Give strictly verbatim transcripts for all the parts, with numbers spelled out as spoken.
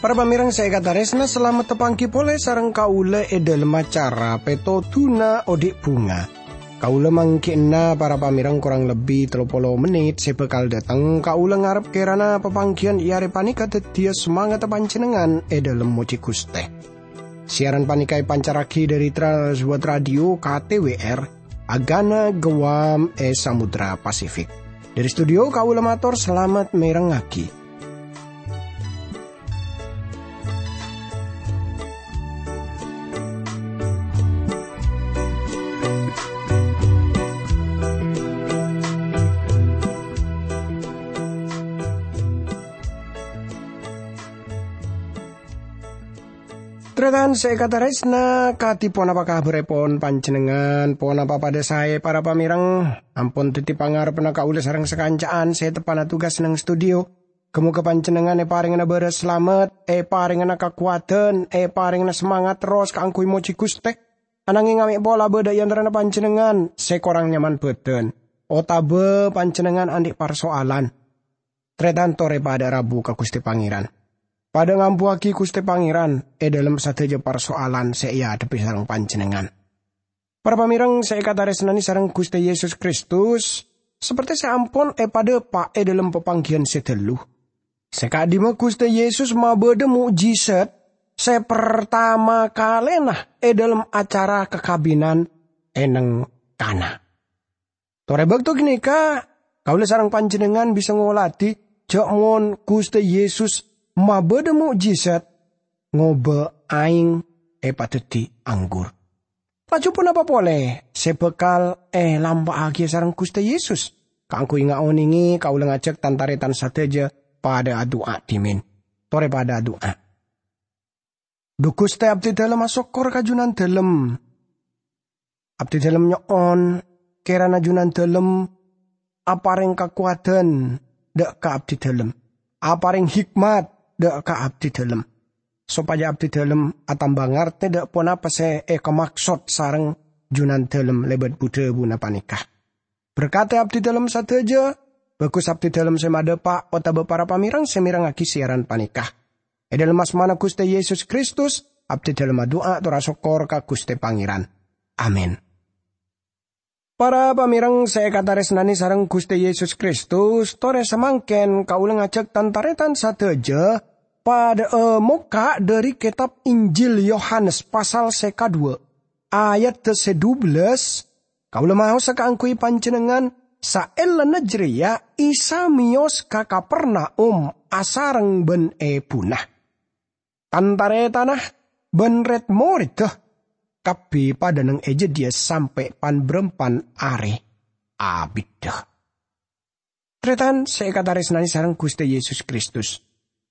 Para pamèrèng sè èkatarèsna, salamet tapangghi polè sareng kaulâ è dhâlem acara Pètodhuna Odi' Bhunga. Kaulâ mangghi'na para pamèrèng korang lebbi tello polo mennit sè bhâkal dâteng. Kaulâ ngarep kèrana papangghiyân è arè panèka dhâddhiyâ samangatta panjhennengngan è dhâlem mojhi Ghustè. Siaran panèka èpancarraghi dhâri Trans World Radio K T W R, Agana Guam è Samudra Pasifik. Dhâri studio kaulâ mator salamet mèrengngaghi. Tarètan sè èkatarèsna, kadhi ponapa kabhârèpon panjhennengngan? Ponapa padâ saè, para pamèrèng? Ampon dhâddhi pangarebbhânna kaulâ sareng sakanca'an sè teppa'na tugas neng studio. Ghâ-moghâ panjhennengngan èparèngana bârâs salamet, èparèngana kakowadhân, èparèngana samangat terros kaangghuy mojhi Ghustè. Ananghing amè' pola bâdâ è antarana panjhennengngan sè korang nyaman bhâdhân, otabâ panjhennengngan andi' parsoalan. Tarètan torè padâ rabu ka Ghustè Pangèran. Padâ ngambuwâghi Ghustè Pangèran è dhâlem sadhâjâ parsoalan sè èadhebbhi sareng panjhennengngan. Para pamèrèng sè èkatarèsnanè sareng Ghustè Yesus Kristus, sapertè sè ampon èpadâpa' è dhâlem papangghiyân sè ghâllu, sè ka'dimma Ghustè Yesus mabâdâ mo'jizat sè partama kalèna è dhâlem acara kakabinan è neng Kana. Torè bâkto ghânèka, kaulâ sareng panjhennengngan bisa ngolatè jhâ' mon Ghustè Yesus mabâdâ mo'jizat, ngobâ aèng èpadhâddhi anggur. Laju ponapa polè sè bhâkal èlampa'aghiyâ sareng Ghustè Yesus? Kaangghuy ngaonèngè, kaulâ ngajhâk tan-tarètan sadhâjâ padâ adu'a dhimèn. Torè padâ adu'a. Dhu Ghustè, abdhidhâlem asokkor ka Junandhâlem. Abdhidhâlem nyo'on, kèrana Junandhâlem aparèng kakowadhân dâ' ka abdhidhâlem, aparèng hikmat dâ' ka abdhidhâlem, sopajâ abdhidhâlem atamba ngartè dâ' ponapa sè èkamaksod sareng Junandhâlem lèbât bu-dhâbuna panèka. Berkadhi abdhidhâlem sadhâjâ, bhâghus abdhidhâlem sè madâpa' otabâ para pamèrèng sè mèrengngaghi siaran panèka. È dhâlem asmana Ghustè Yesus Kristus, abdhidhâlem adu'a tor asokkor ka Ghustè Pangèran. Amin. Para pamèrèng sè èkatarèsnanè sareng Ghustè Yesus Kristus, torè samangkèn kaulâ ngajhâk tan-tarètan sadhâjâ padâ'â mokka' dhâri kètab Injil Yohanes pasal sè kadhuwâ', ayat sè dubellâs, kaulâ maosa kaangghuy panjhennengngan, saellana jârèya Isa mèyos ka Kapernaum asareng bân èbhuna. Tan-tarètanna bân rèd-morèdda kabbhi padâ neng è jâdiyâ sampè' pan-bârâmpan arè abiddhâ. Tarètan sè èkatarèsnanè sareng Ghustè Yesus Kristus,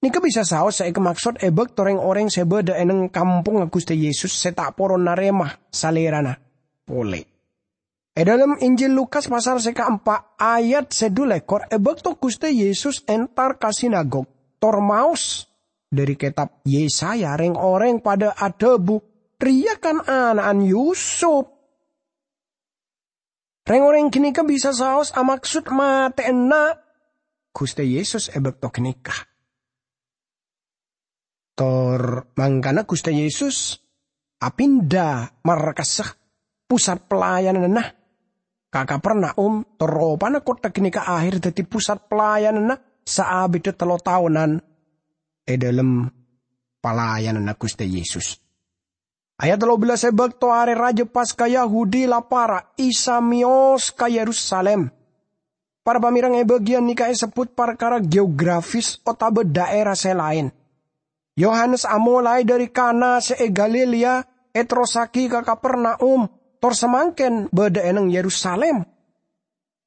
nèka bisa saos sè èkamaksod è bâkto rèng-orèng sè bâdâ è neng kampongnga Ghustè Yesus sè ta' poron narèma Salèrana polè. È dhâlem Injil Lukas pasal sè kaempa' ayat sè dhu lèkor, è bâkto Ghustè Yesus entar ka sinagog tor maos dhâri kètab Yesaya, rèng-orèng padâ adhâbu, "Rèya kan ana'na Yusup." Rèng-orèng ghânèka bisa saos amaksod matè'ana Ghustè Yesus è bâkto ghânèka. Tor mangkana Ghustè Yesus apinda markassa pusat pelayananna ka Kapernaum, tor ropana kottha ghânèka aher dhâddhi pusat pelayananna saabiddhâ tello taonan è dhâlem pelayananna Ghustè Yesus. Ayat tello bellâs, è bâkto arè rajâ Paska Yahudi la para', Isa mèyos ka Yerusalim. Para pamèrèng, è bâgiyân nèka èsebbhut parkara geografis otabâ dhaèra sè laèn. Yohanes amolaè dhâri Kana sè è Galilea, èterrossaghi ka Kapernaum, tor samangkèn bâdâ è neng Yerusalim.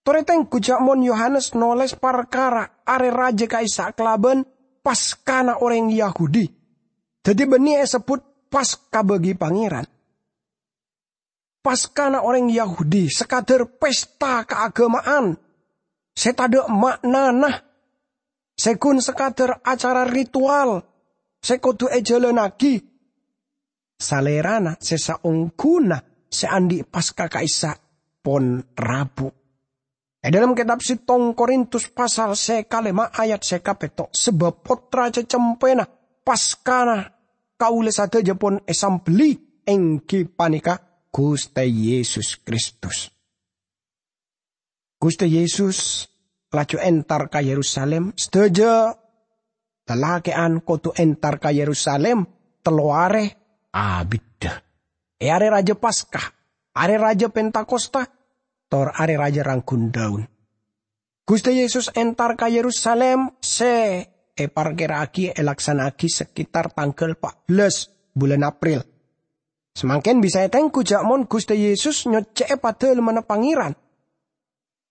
Torè tèngghu jhâ' mon Yohanes nolès parkara arè rajâ ka'issa' kalabân Paskana orèng Yahudi. Dhâddhi bânnè èsebbhut Paska bâgi Pangèran. Paskana orèng Yahudi sakadhâr pèsta kaaghâma'an sè tadâ' ma'nana, sè ghun sakadhâr acara ritual sè kodhu èjhâlânnaghi. Salèrana sè saongghuna sè andi' Paska ka'issa' pon rabu. È dhâlem kètab settong Korintus pasal sè kalèma' ayat sè kapètto', "Sabâb Pottra cacempèna, Paskana kaulâ sadhâjâ pon èsambelli, èngghi panèka Ghustè Yesus Kristus." Ghustè Yesus laju entar ka Yerusalem. Sadhâjâ lalakè'an kodhu entar ka Yerusalem tello arè abiddhâ. È arè rajâ Paska, arè rajâ Pentakosta, tor arè rajâ Rangghun Daun. Ghustè Yesus entar ka Yerusalem sè èparkèra'aghi èlaksana'aghi sekitar tangghâl pa' bellâs bulân April. Samangkèn bisa ètengghu jâ' mon Ghustè Yesus nyoccè'è Padâlemmanna Pangèran.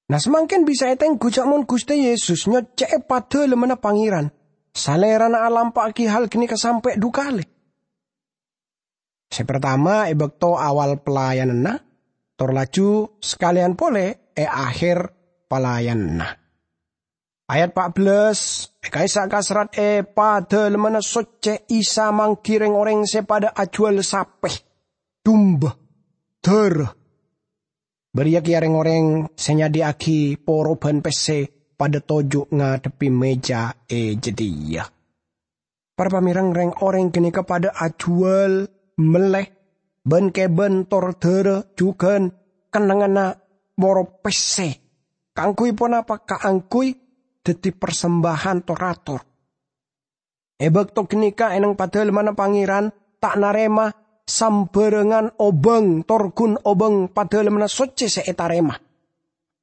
Nah, samangkèn bisa ètengghu jâ' mon Ghustè Yesus nyoccè'è Padâlemmanna Pangèran, Salèrana alampa'aghi hal ghânèka sampè' dhu kalè. Sè partama è bâkto awal pelayananna, tor laju sakalèyan polè è akhèr pelayananna. Ayat pa' bellâs, è ka'issa' kaserrat è Padâlemmanna Soccè Isa mangghi rèng-orèng sè padâ ajhuwâl sapè, dumba, dârâ. Bâriyâ kèya rèng-orèng sè nyadhiyâ'aghi poro bân pèssè padâ toju' ngadhebbhi mèja è jâdiyâ. Para pamèreng, rèng-orèng ghânèka padâ ajhuwâl mellè bân-kèbân tor dârâ jhughân kennengnganna poro pèssè. Kaangghuy ponapa? Kaangghuy dhâddhi parsembâjân tor-ator. È bâkto ghânèka è neng Padâlemmanna Pangèran ta' narèma sambhârângan obâng tor ghun obâng Padâlemmanna Soccè sè ètarèma.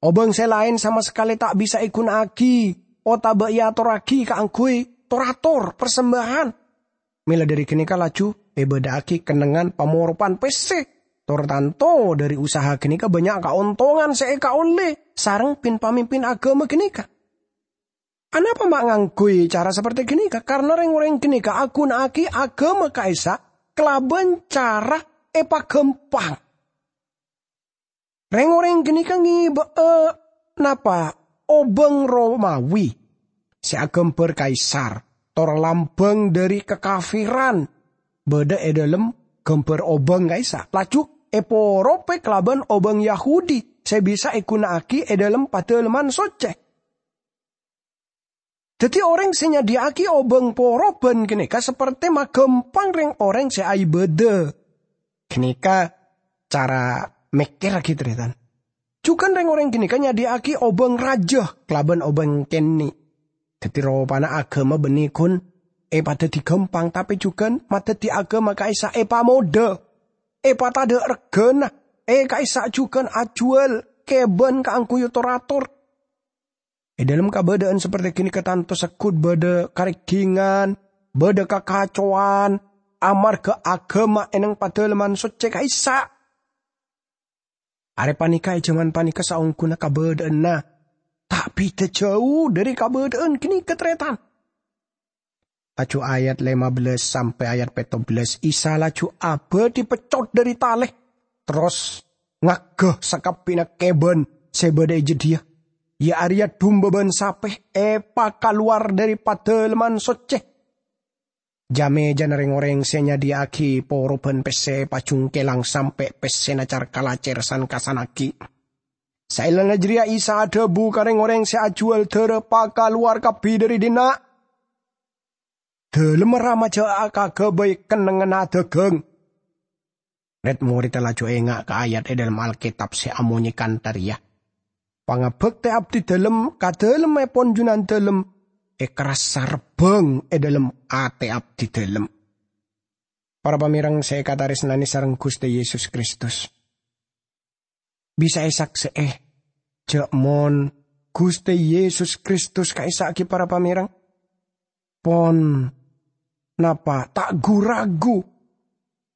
Obâng sè laèn sama sakalè ta' bisa èghuna'aghi otabâ èatorraghi kaangghuy tor-ator parsembâjân. Mèla dhâri ghânèka laju èbâdâ'aghi kennengngan pamoropan pèssè, tor tanto dhâri usaha ghânèka bânnya' kaontongan sè èkaollè sareng pin-pamimpin aghâma ghânèka. Anapa ma' ngangghuy cara saperti ghânèka? Karna rèng-orèng ghânèka aghuna'aghi aghâma ka'issa' kalabân cara èpaghâmpang. Rèng-orèng ghânèka ngèbâ'â napa? Obâng Romawi sè aghâmbhâr Kaisar, tor lambâng dhâri kakafiran bâdâ è dhâlem ghâmbhâr obâng ka'issa', laju èporopè kalabân obâng Yahudi sè bisa èghuna'aghi è dhâlem Padâlemman Soccè. Dhâddhi, orèng sè nyadhiyâ'aghi obâng poroban ghânèka sapertè maghâmpang rèng-orèng sè aibâdâ. Ghânèka cara mèkkèrra ghi, tarètan. Jhughân rèng-orèng ghânèka nyadhiyâ'aghi obâng rajâ kalabân obâng kènè'. Dhâddhi, ropana aghâma bânnè ghun èpadhâddhi ghâmpang, tapè jhughân madhâddhi aghâma ka'issa' èpamodâ, èpatadâ' règhâna, è ka'issa' jhughân ajhuwâl kèbân kaangghuy tor-ator. È dhâlem kabâdâ'ân sapertè ghânèka tanto segghut bâdâ karègghingân, bâdâ kakacowan, amarghâ aghâma è neng Padâlemman Soccè ka'issa'. Arè panèka, è jhâman panèka saongghuna kabâdâ'ânna ta' bhidhâ jhâu dhâri kabâdâ'ân ghânèka, tarètan. Laju ayat lèma bellâs sampè' ayat pètto bellâs, Isa laju abâdhi peccot dhâri talè, terros ngaghâ sakabbhiyânna kèbân sè bâdâ è jâdiyâ, iyâ arèya dumba bân sapè, èpakalowar dhâri Padâlemman Soccè. Jâ-mèjâna rèng-orèng sè nyadhiyâ'aghi poroban pèssè èpajhungkèlang sampè' pèssèna car-kalacèr san-kasanaghi. Saellana jârèya Isa adhâbu ka rèng-orèng sè ajhuwâl dârâ, "Pakalowar kabbhi dhâri dinna'! Dhâlemma Rama jhâ' akaghâbây kennengnganna adhâghâng." Rèd-morèdda laju enga' ka ayat è dhâlem Alkètab sè amonyè kantha rèya, "Pangabhâktè abdhi dhâlem ka dhâlemmèpon Jhunandhâlem èkarassa rebbhâng è dhâlem atè abdhi dhâlem." Para pamèreng sè èkatarèsnanè sareng Ghustè Yesus Kristus, bisa èsaksè'è jhâ' mon Ghustè Yesus Kristus ka'issa' ghi, para pamèreng, pon napa ta' gu-ragu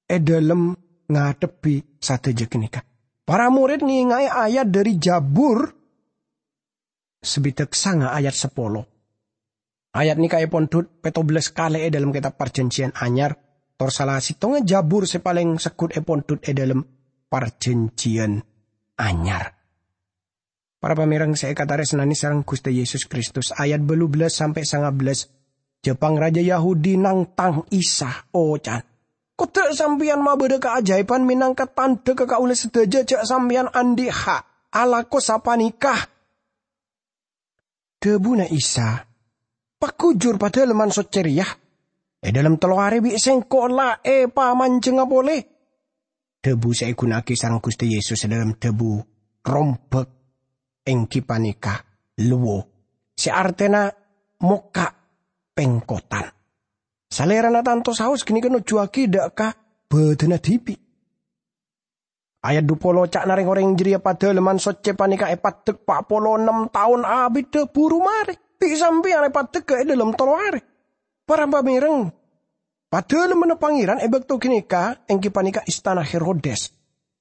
è dhâlem ngadhebbhi sadhâjâ ghânèka. Para morèd ngènga'è ayat dhâri Jabur sabidhâk sanga ayat sapolo. Ayat nèka èpondhut pètto bellâs kalè è dhâlem Kètab Parjhânjhiyân Anyar, tor sala sèttongnga Jabur sè palèng segghut èpondhut è dhâlem Parjhânjhiyân Anyar. Para pamèreng sè èkatarèsnanè sareng Ghustè Yesus Kristus, ayat bâllu bellâs sampè' sanga bellâs, jhâ' pangrajâ Yahudi nangtang Isa, oca'na, Kodda' sampèyan mabâdâ kaajaèban mènangka tandhâ ka kaulâ sadhâjâ jhâ' sampèyan andi' ha' alako sapanèka." Dhâbuna Isa, "Pagujur Padalemman Soccè rèya è dhâlem tello arè bi' Sèngko' la èpamanjhengnga polè." Dhâbu sè èghuna'aghi sareng Ghustè Yesus è dhâlem dhâbu rombhâk èngghi panèka luwo, sè artèna mokka' pèngkotan. Salèrana tanto saos ghânèka nojuwâghi dâ' ka bâdânna dhibi'. Ayat dhu polo, ca'na rèng-orèng jârèya Padalemman Soccè panèka èpaddhek pa' polo ennem taon abidda buru marè. Bi' sampèyan èpaddhek è dhâlem tello arè. Para pamèreng, Padalemmanna Pangèran è bâkto ghânèka èngghi panèka istana Herodes.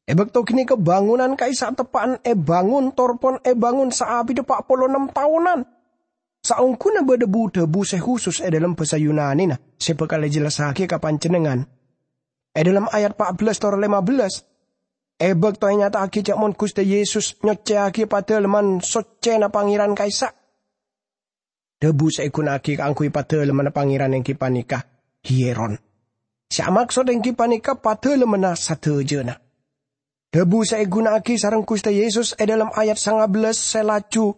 È bâkto ghânèka bângonan ka'issa' teppa'na èbângon tor pon èbângon saabidda pa' polo ennem taonan. Saongghuna bâdâ bu-dhâbu sè husus è dhâlem bhâsa Yunanina sè bhâkal èjellassaghi ka panjhennengngan. È dhâlem ayat pa' bellas tor lèma bellas, è bâkto ènyata'aghi jhâ' mon Ghustè Yesus nyoccèyaghi Padalemman Soccèna Pangèran ka'issa'. Dhâbu sè èghuna'aghi kaangghuy Padalemmanna Pangèran èngghi panèka Hieron. Sè amaksod èngghi panèka Padalemmanna sadhâjâna. Dhâbu sè èghuna'aghi sareng Ghustè Yesus è dhâlem ayat sanga bellas sè laju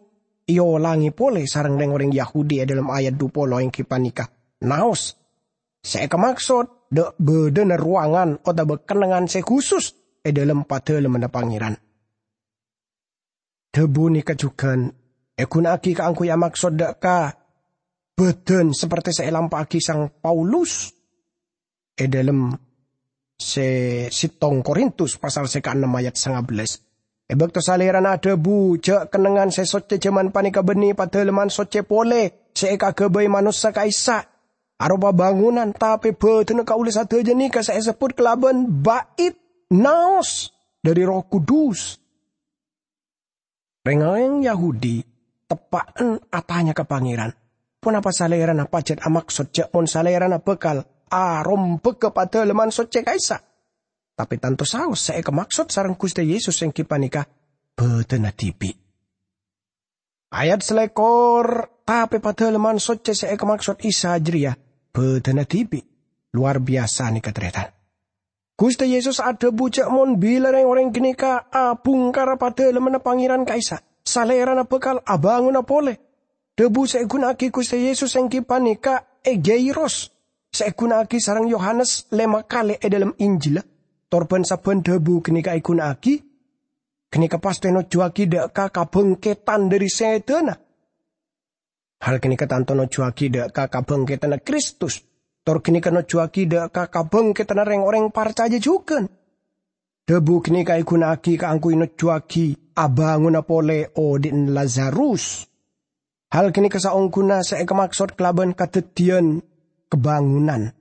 èolangè polè sareng rèng-orèng Yahudi è dhâlem ayat dhu polo èngghi panèka naos. Sè èkamaksod dâ' bâdâna rowangan otabâ kennengngan sè husus è dhâlem Padalemmanna Pangèran. Dhâbu nèka jhughân èghuna'aghi kaangghuy amaksod dâ' ka bâdân sapertè sè èlampa'aghi Sang Paulus è dhâlem sè settong Korintus pasal sè kaennem ayat sanga bellas. È bâkto Salèrana adhâbu jhâ' kennengngan sè soccè jhâman panèka bânnè Padalemman Soccè polè sè èkaghâbây manossa ka'issa', aropa bângonan, tapè bâdânna kaulâ sadhâjâ nèka sè èsebbhut kalabân bait naos dhâri Erroh Kudus. Rèng-orèng Yahudi teppa'en atanya ka Pangèran, ponapa Salèrana pajhât amaksod jhâ' mon Salèrana bhâkal arombhâghâ Padalemman Soccè ka'issa'? Tapè tanto saos sè èkamaksod sareng Ghustè Yesus èngghi panèka bâdânna dhibi'. Ayat salèkor, tapè Padalemman Soccè sè èkamaksod Isa jârèya bâdânna dhibi'. Lowar biyasa nèka, tarètan. Ghustè Yesus adhâbu jhâ' mon bilâ rèng-orèng ghânèka abhungkara Padalemmanna Pangèran ka'issa', Salèrana bhâkal abângona polè. Dhâbu sè èghuna'aghi Ghustè Yesus èngghi panèka egeiros, sè èghuna'aghi sareng Yohanes lèma kalè è dhâlem Injilla. Tor bân-sabbhân dhâbu ghânèka èghuna'aghi, ghânèka pastè nojuwâghi dâ' ka kabhângkèdhân dhâri sèdhâna. Hal ghânèka tanto nojuwâghi dâ' ka kabhângkèdhânna Kristus, tor ghânèka nojuwâghi dâ' ka kabhângkèdhânna rèng-orèng parcajâ jhughân. Dhâbu ghânèka èghuna'aghi kaangghuy nojuwâghi abângona polè odi'na Lazarus. Hal ghânèka saongghuna sè èkamaksod kalabân kadhâddhiyân kabângonan.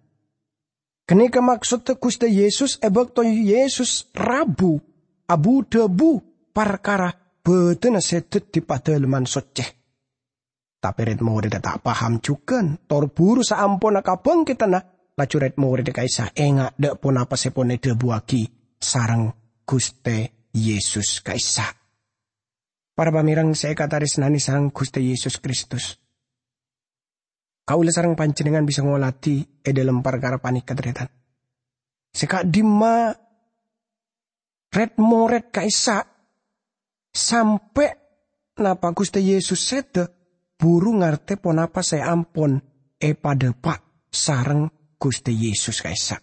Ghânèka maksoddhâ Ghustè Yesus è bâkto Yesus rabu abu-dhâbu parkara bâdânna sè dhâddhi Padalemman Soccè. Tapè rèd-morèdda ta' paham jhughân, tor buru saamponna kabhângkèdhânna, laju rèd-morèdda ka'issa' enga' dâ' ponapa sè pon èdhâbuwâghi sareng Ghustè Yesus ka'issa'. Para pamèreng sè èkatarèsnanè sareng Ghustè Yesus Kristus, kaulâ sareng panjhennengngan bisa ngolatè è dhâlem parkara panèka, tarètan. Sè ka'dimma rèd-morèd ka'issa' sampè' napa Ghustè Yesus sèdhâ buru ngartè ponapa sè ampon èpadhâpa' sareng Ghustè Yesus ka'issa'.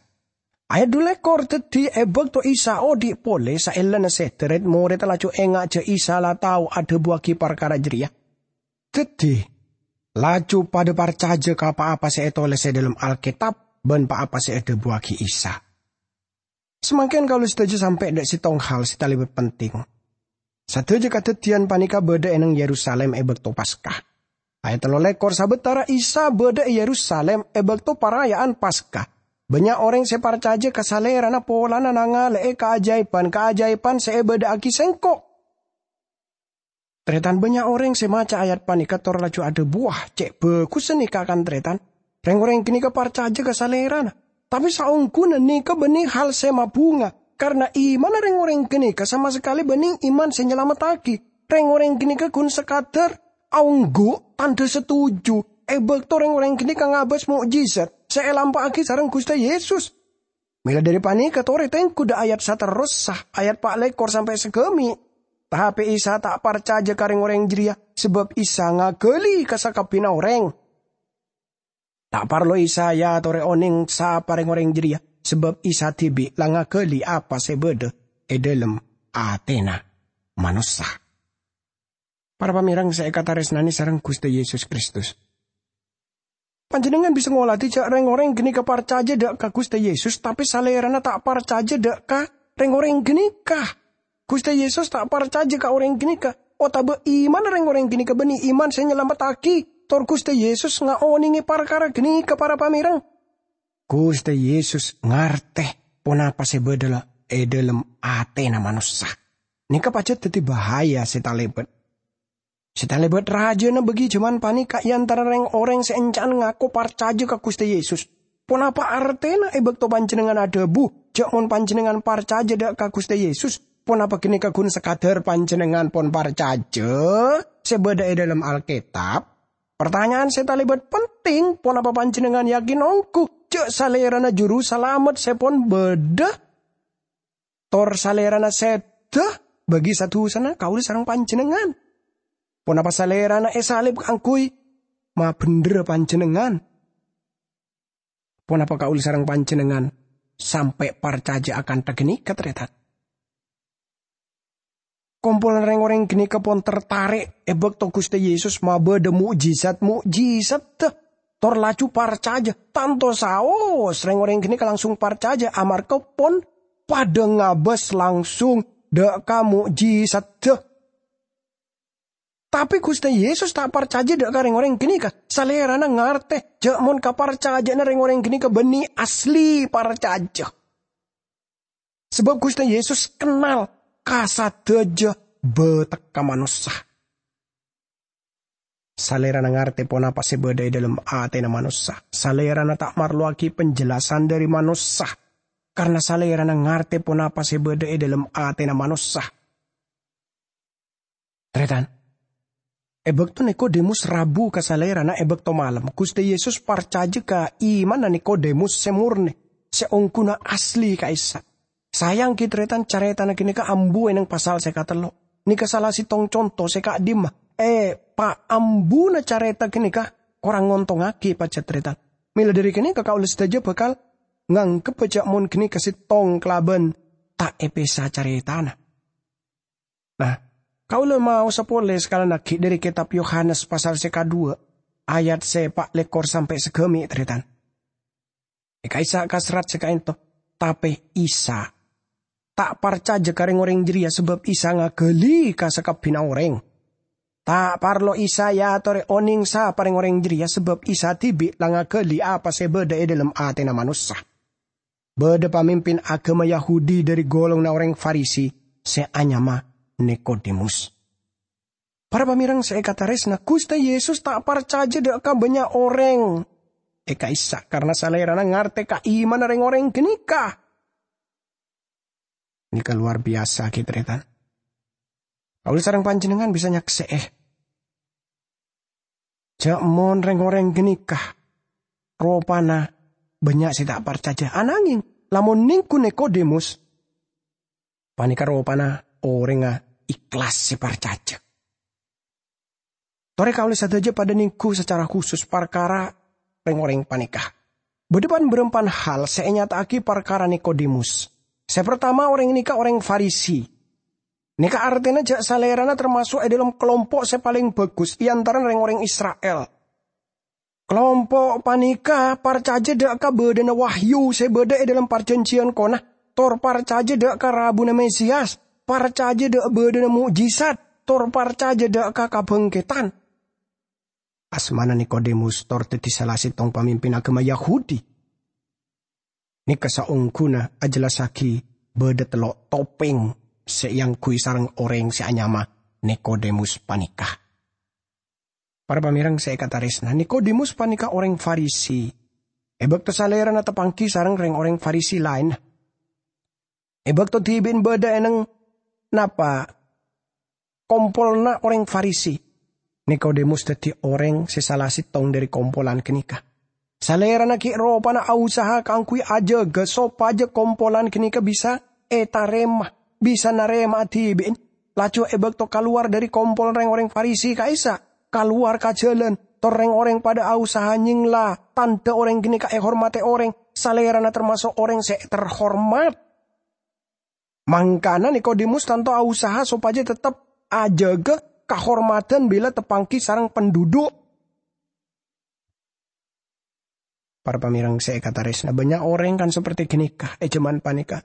Ayat dhu lèkor, dhâddhi è bâkto Isa odi' polè saellana sèdhâ, rèd-morèdda laju enga' jhâ' Isa la tao adhâbuwâghi parkara jârèya. Dhâddhi, laju padhâ parcajâ ka pa-apa sè ètolès è dhâlem Alkètab bân pa-apa sè èdhâbuwâghi Isa. Samangkèn kaulâ sadhâjâ sampè' dâ' sèttong hal sè talèbât penting. Sadhâjâ kadhâddhiyân panèka bâdâ è neng Yerusalim è bâkto Paska. Ayat tello lèkor, sabâtara Isa bâdâ è Yerusalim è bâkto paraya'an Paska, bânnya' orèng sè parcajâ ka Salèrana polana nangalè'è kaajaèban-kaajaèban sè èbâdâ'aghi Sèngko'. Tarètan, bânnya' orèng sè maca ayat panèka tor laju adhâbu, "Wah, cè' bhâghussa nèka, kan, tarètan? Rèng-orèng ghânèka parcajâ ka Salèrana." Tapè saongghuna nèka bânnè hal sè mabhunga, karna imanna rèng-orèng ghânèka sama sakalè bânnè iman sè nyalamettaghi. Rèng-orèng ghânèka ghun sakadhâr aongghu tandhâ satuju è bâkto rèng-orèng ghânèka ngabâs mo'jizat sè èlampa'aghi sareng Ghustè Yesus. Mèla dhâri panèka torè tèngghu dâ' ayat saterrossa, ayat pa' lèkor sampè' sagâmè'. Tapè Isa ta' parcajâ ka rèng-orèng jârèya, sabâb Isa ngaghâli ka sakabbhiyânna orèng. Ta' parlo Isa èyatorè onèng sapa rèng-orèng jârèya, sabâb Isa dhibi' la ngaghâli apa sè bâdâ è dhâlem atèna manossa. Para pamèrèng sè èkatarèsnanè sareng Ghustè Yesus Kristus. Panjhennengngan bisa ngolatè jâ' rèng-orèng ghânèka parcajâ dâ' ka Ghustè Yesus, tapè Salèrana ta' parcajâ dâ' ka rèng-orèng ghânèka. Ghustè Yesus ta' parcajâ ka orèng ghânèka, otabâ imanna rèng-orèng ghânèka bânnè iman sè nyalamettaghi, tor Ghustè Yesus ngaonèngè parkara ghânèka, para pamèrèng. Ghustè Yesus ngartè ponapa sè bâdâ la è dhâlem atèna manossa. Nèka pajhât dhâddhi bahaya sè talèbât. Sè talèbât rajâna bâgi jhâman panèka è antara rèng-orèng sè ènca'na ngako parcajâ ka Ghustè Yesus. Ponapa artèna è bâkto panjhennengngan adhâbu jâ' mon panjhennengngan parcajâ dâ' ka Ghustè Yesus, ponapa ghânèka ghun sakadhâr panjhennengngan pon parcajâ sè bâdâ è dhâlem Alkètab? Partanya'an sè talèbât penting, ponapa panjhennengngan yakin ongghu jâ' Salèrana Juru Salamet sè pon bâdâ? Tor Salèrana sèdhâ bâgi sa-dusana kaulâ sareng panjhennengngan. Ponapa Salèrana èsalib kaangghuy mabhendherra panjhennengngan? Ponapa kaulâ sareng panjhennengngan sampè' parcajâ akantha ghânèka, tarètan? Kompolan rèng-orèng ghânèka pon tertarè' è bâkto Ghustè Yesus mabâdâ mo'jizat-mo'jizaddhâ, tor laju parcajâ. Tanto saos rèng-orèng ghânèka langsung parcajâ amarghâ pon padâ ngabâs langsung dâ' ka mo'jizaddhâ. Tapè Ghustè Yesus ta' parcajâ dâ' ka rèng-orèng ghânèka. Salèrana ngartè jâ' mon kaparcajâ'ânna rèng-orèng ghânèka bânnè asli parcajâ. Sabâb Ghustè Yesus kennal ka sadhâjâ bâtekka manossa. Salèrana ngartè ponapa sè bâdâ è dhâlem atèna manossa. Salèrana ta' marlowaghi penjelasan dhâri manossa, karna Salèrana ngartè ponapa sè bâdâ è dhâlem atèna manossa. Tarètan, è bâkto Nikodemus rabu ka Salèrana è bâkto malem, Ghustè Yesus parcajâ ka imanna Nikodemus sè mornè, sè ongghuna asli ka'issa'. Saèngghâ tarètan, carètana ghânèka ambu è neng pasal sè katello'. Nèka sala sèttong conto sè ka'dimma è paambuna carèta ghânèka korang ngontongngaghi pajhât tarètan. Mèla dhâri ghânèka kaulâ sadhâjâ bhâkal ngangghep jâ' mon ghânèka sèttong kalabân ta' èpèsa carètana. Nah, kaulâ maosa polè sakalèyan aghi' dhâri kètab Yohanes pasal sè kadhuwâ', ayat sè pa' lèkor sampè' sagâmè', tarètan. È ka'issa' ka serrat sè ka'ento, tapè Isa ta' parcajâ ka rèng-orèng jârèya sabâb Isa ngaghâli ka sakabbhiyânna orèng. Ta' parlo Isa èyatorè onèng sapa rèng-orèng jârèya sabâb Isa dhibi' la ngaghâli apa sè bâdâ è dhâlem atèna manossa. Bâdâ pamimpin aghâma Yahudi dhâri ghulunganna orèng Farisi sè anyama Nikodemus. Para pamèrèng sè èkatarèsna, Ghustè Yesus ta' parcajâ dâ' ka bânnya' orèng è ka'issa' karna Salèrana ngartè ka imanna rèng-orèng ghânèka. Nèka lowar biyasa, ghi, tarètan. Kaulâ sareng panjhennengngan bisa nyaksè'è jâ' mon rèng-orèng ghânèka ropana bânnya' sè ta' parcajâ. Ananghing, lamon nèngghu Nikodemus, panèka ropana orèngnga ikhlas sè parcajâ. Torè kaulâ sadhâjâ padâ nèngghu sacara khusus parkara rèng-orèng panèka. Bâdâ pan-bârâmpan hal sè ènyata'aghi parkara Nikodemus. Sè partama, orèng nèka orèng Farisi. Nèka artèna jâ' salèrana tamaso' è dhâlem kalompo' sè palèng bhâghus è antarana rèng-orèng Isra'il. Kalompo' panèka parcajâ dâ' ka bâdâna wahyu sè bâdâ è dhâlem Parjhânjhiyân Kona, tor parcajâ dâ' ka rabuna Mesias, parcajâ dâ' bâdâna mo'jizat, tor parcajâ dâ' ka kabhângkèdhân. Asmana Nikodemus, tor dhâddhi sala sèttong pamimpin aghâma Yahudi. Nèka saongghuna ajellassaghi bâdâ tello' topèng sè èangghuy sareng orèng sè anyama Nikodemus panèka. Para pamèrèng sè èkatarèsna, Nikodemus panèka orèng Farisi. È bâkto salèrana tapangghi sareng rèng-orèng Farisi laènna. È bâkto dhibi'na bâdâ è neng napa kompolanna orèng Farisi, Nikodemus dhâddhi orèng sè sala sèttong dhâri kompolan ghânèka. Salèrana ghi' ropana ausaha kaangghuy ajâgâ sopajâ kompolan ghânèka bisa ètarèma, bisa narèma'a dhibi'na. Laju è bâkto kalowar dhâri kompol rèng-orèng Farisi ka'issa', kalowar ka jhâlân, tor rèng-orèng padâ ausaha nyèngla tandhâ orèng ghânèka èhormadhi orèng, salèrana tamaso' orèng sè terhormat. Mangkana Nikodemus tanto ausaha sopajâ tettep ajâgâ kahormadhân bilâ tapangghi sareng pandhudhu'. Para pamèrèng sè èkatarèsna, bânnya' orèng kan saperti ghânèka è jhâman panèka.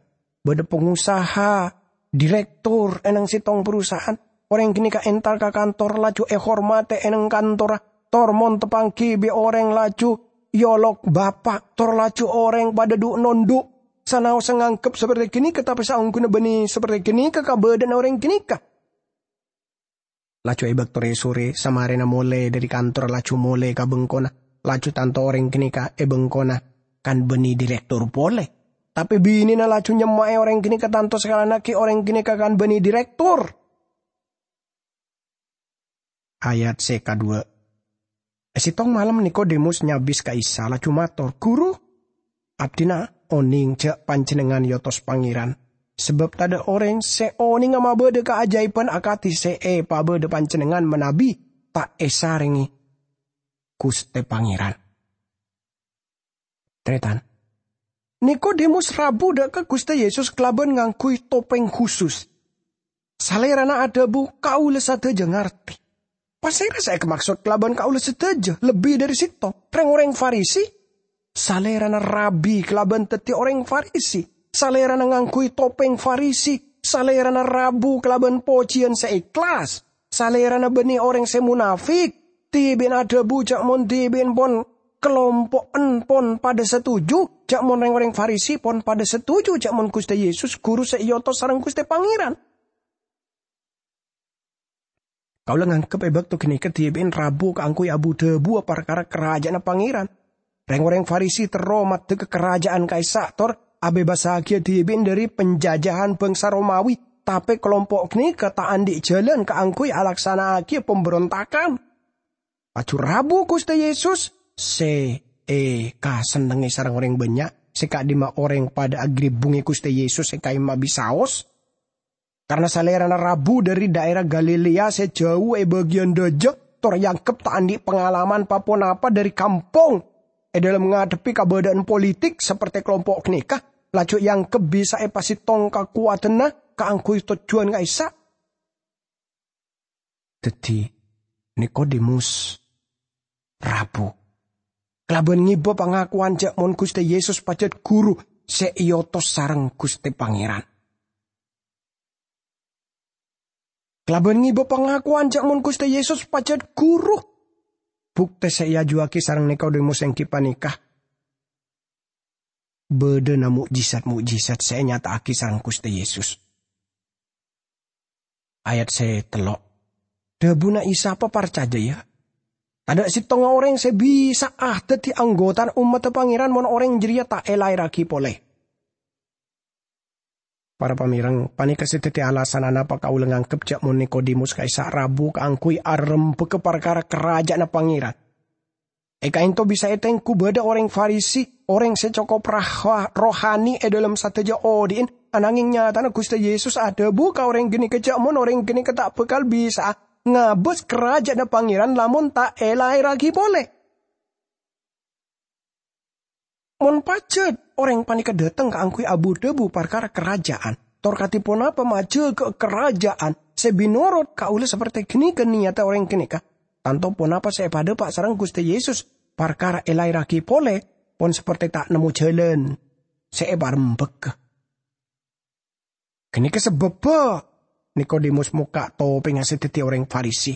Bâdâ pangosaha, direktur è nang sèttong perusahaan. Orèng ghânèka entar ka kantor, laju èhormadhi è nang kantorra. Tor mon tapangghi bi' orèng, laju èolok bapa', tor laju orèng padâ dhu'-nondhu'. Sanaossa nganggep saperti ghânèka, tapè saongghuna bânnè saperti ghânèka kabâdâ'ânna orèng ghânèka. Laju è bâkto rè-sorè, samarèna molè dhâri kantor, laju molè ka bengkona, laju tanto orèng ghânèka è bengkona kan bânnè direktur polè. Tapè binèna laju nyemma'è orèng ghânèka tanto sakalana ghi' orèng ghânèka kan bânnè direktur. Ayat sè kaduwâ'. È sèttong malem Nikodemus nyabis ka Isa, laju mator, "Guru, abdhina onèng jâ' Panjhennengngan èotos Pangèran, sabâb tadâ' orèng sè onènga mabâdâ kaajâibhân akadhi sè èpabâdâ Panjhennengngan manabi ta' èsarèngè Ghustè Pangèran." Tarètan, Nikodemus rabu dâ' ka Ghustè Yesus kalabân ngangghuy topèng khusus. Salèrana adhâbu, "Kaulâ sadhâjâ ngartè." Pasèra sè èkamaksod kalabân "kaulâ sadhâjâ"? Lebbi dhâri sèttong, rèng-orèng Farisi. Salèrana rabi kalabân dhâddhi orèng Farisi. Salèrana ngangghuy topèng Farisi. Salèrana rabu kalabân pojhiyân sè èhlas. Salèrana bânnè orèng sè monafik. Dhibi'na adhâbu jâ' mon dhibi'na pon kalompo'en pon padâ satuju, jâ' mon rèng-orèng Farisi pon padâ satuju jâ' mon Ghustè Yesus Ghuru sè èotos sareng Ghustè Pangèran. Kaulâ nganggep è bâkto ghânèka dhibi'na rabu kaangghuy abu-dhâbuwâ parkara Karajâ'ânna Pangèran. Rèng-orèng Farisi terro maddhâ ka karajâ'ân ka'issa' tor abebassaghiyâ dhibi'na dhâri panjhâjâhân bhângsa Romawi, tapè kalompo' ghânèka ta' andi' jhâlân kaangghuy alaksana'aghiyâ pamberontagan. Laju rabu Ghustè Yesus, sè èkasennengngè sareng orèng bânnya', sè ka'dimma orèng padâ agribbhungè Ghustè Yesus è ka'imma bi' saos. Karna Salèrana rabu dhâri dhaèra Galilea sè jhâu è bâgiyân dhâjâ, tor èangghep ta' andi' pangalaman pa-ponapa dhâri kampong è dhâlem ngadhebbhi kabâdâ'ân politik sapertè kalompo' ghânèka, laju èangghep bisa èpasèttong kakowadhânna kaangghuy tojjhuwân ka'issa'. Dhâddhi, Nikodemus rabu, kalabân ngèbâ pangakowan jâ' mon Ghustè Yesus pajhât Ghuru sè èotos sareng Ghustè Pangèran. Kalabân ngèbâ pangakowan jâ' mon Ghustè Yesus pajhât Ghuru. Buktè sè èajuwâghi sareng Nikodemus èngghi panèka bâdâna mo'jizat-mo'jizat sè ènyata'aghi sareng Ghustè Yesus. Ayat sè tello'. Dhâbuna Isa, "Paparcajâ, yâ! Tadâ' sèttonga orèng sè bisa'a dhâddhi anggotana ommaddhâ Pangèran mon orèng jârèya ta' èlaèrraghi polè." Para pamèrèng, panèka sè dhâddhi alasan anapa kaulâ nganggep jâ' mon Nikodemus ka'issa' rabu kaangghuy arembhâghâ parkara Karajâ'ânna Pangèran. È ka'ènto bisa ètengghu bâdâ orèng Farisi, orèng sè cokop raha-, rohani è dhâlem sadhâjâ odi'na, ananghing nyatana Ghustè Yesus adhâbu ka orèng ghânèka jâ' mon orèng ghânèka ta' bhâkal bisa'a ngabâs Karajâ'ânna Pangèran lamon ta' èlaèrraghi polè. Mon pajhât orèng panèka dhâteng kaangghuy abu-dhâbu parkara Karajâ'ân, tor kadhi ponapa majâgâ Karajâ'ân sè binorodh kaulâ sapertè ghânèka niyatta orèng ghânèka, tanto ponapa sè èpadhâpa' sareng Ghustè Yesus parkara èlaèrraghi polè, pon sapertè ta' nemmo jhâlân sè èparembhâghâ. Ghânèka sabâbbhâ Nikodemus mokka' topèngnga sè dhâddhi orèng Farisi,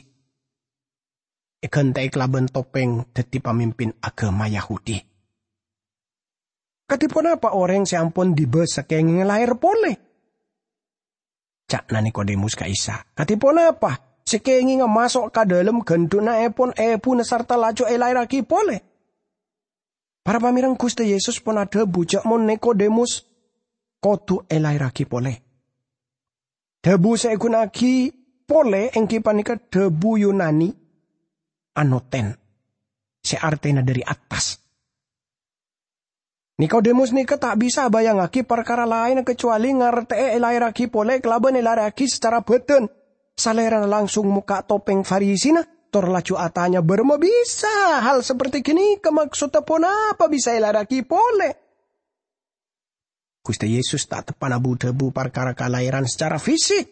èghântè'è kalabân topèng dhâddhi pamimpin aghâma Yahudi. "Kadhi ponapa orèng sè ampon dibâs sakèngènga laèr polè?" ca'na Nikodemus ka Isa. "Kadhi ponapa sakèngènga maso' ka dhâlem ghândhu'na èpon èbuna sarta laju èlaèrraghi polè?" Para pamèrèng, Ghustè Yesus pon adhâbu jâ' mon Nikodemus kodhu èlaèrraghi polè. Dhâbu sè èghuna'aghi polè èngghi panèka dhâbu Yunani anoten, sè artèna dhâri attas. Nikodemus nèka ta' bisa abayangngagi parkara laènna kacobâli ngartè'è èlaèrraghi polè kalabân èlaèrraghi sacara bhâdhân. Salèrana langsung mokka' topèng Farisina, tor laju atanya bârâmma bisa hal saperti ghânèka, maksodda ponapa bisa èlaèrraghi polè. Ghustè Yesus ta' teppa'na bu-dhâbu parkara kalairan sacara fisik.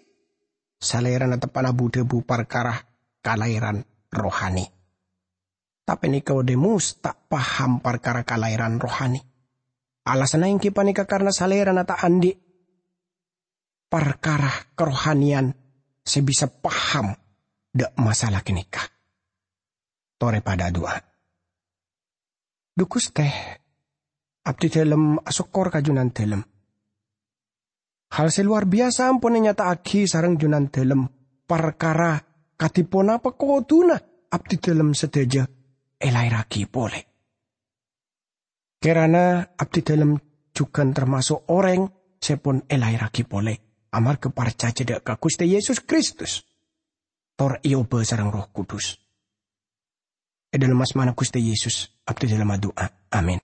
Salèrana teppa'na bu-dhâbu parkara kalairan rohani. Tapè Nikodemus ta' paham parkara kalairan rohani. Alasanna èngghi panèka karana salèrana ta' andi' parkara karohaniyan sè bisa paham dâ' masalah ghânèka. Torè padâ adu'a. Dhu Ghustè, abdhidhâlem asokkor ka Jhunandhâlem. Hal sè lowar biyasa ampon ènyata'aghi sareng Jhunandhâlem parkara kadhi ponapa kodhuna abdhidhâlem sadhâjâ èlaèrraghi polè. Kèrana abdhidhâlem jhughân tamaso' orèng sè pon èlaèrraghi polè amarghâ parcajâ dâ' ka Ghustè Yesus Kristus, tor èobâ sareng Erroh Kudus. È dhâlem asmana Ghustè Yesus, abdhidhâlem adu'a. Amin.